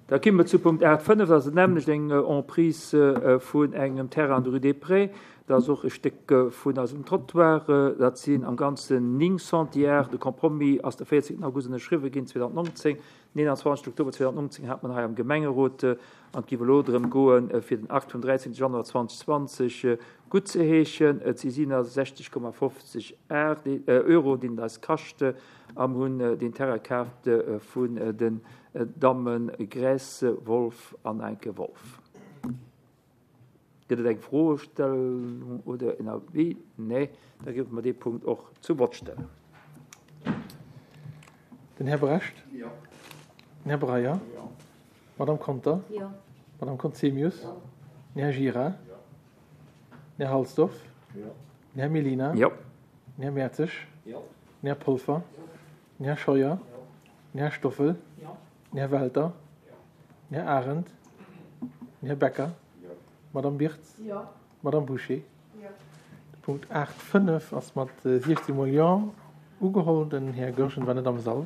Da komme mer zu Punkt 8,5, dat ass nämmlecht eng Emprise vun engem Terrain an der Rue des Prés. Dat ass och e Stéck vun eisem Trottoir. Dat sinn am Ganzen 9 Centiares. De Compromis ass de 14 August ënnerschriwwen ginn 2019. Den 21 Oktober 2019 hat mer en hei am Gemengerot. An et géif elo drëm goen, fir den Akt vum 13 Januar 2020 guttzeheeschen. Et si 67,50 Euro, déi en eis kascht. A mer hunn deen Terrain kaaft vun den Damme Gress, Wolff an Anke Wolff. Gëtt et eng Froestellung oder en Avis? Nee, da géife mer dee Punkt och zum Vott stellen. Den Här Brecht? Jo. Den Här Breyer? Jo. D'Madame Conter? Jo. D'Madame Conzemius? Jo. Den Här Gira? Jo. Den Här Halsdorf? Jo. Den Här Mellina? Jo. Den Här Mertzig? Jo. Den Här Polfer? Den Här Scheuer? Den Här Stoffel? Den Här Welter? Den Här Arendt? Den Här Becker? D'Madame Birtz? D'Madame Bouché? De Punkt 8, 5 ass mat 16 mol Jo ugeholl. Den Här Goergen war net am Sall.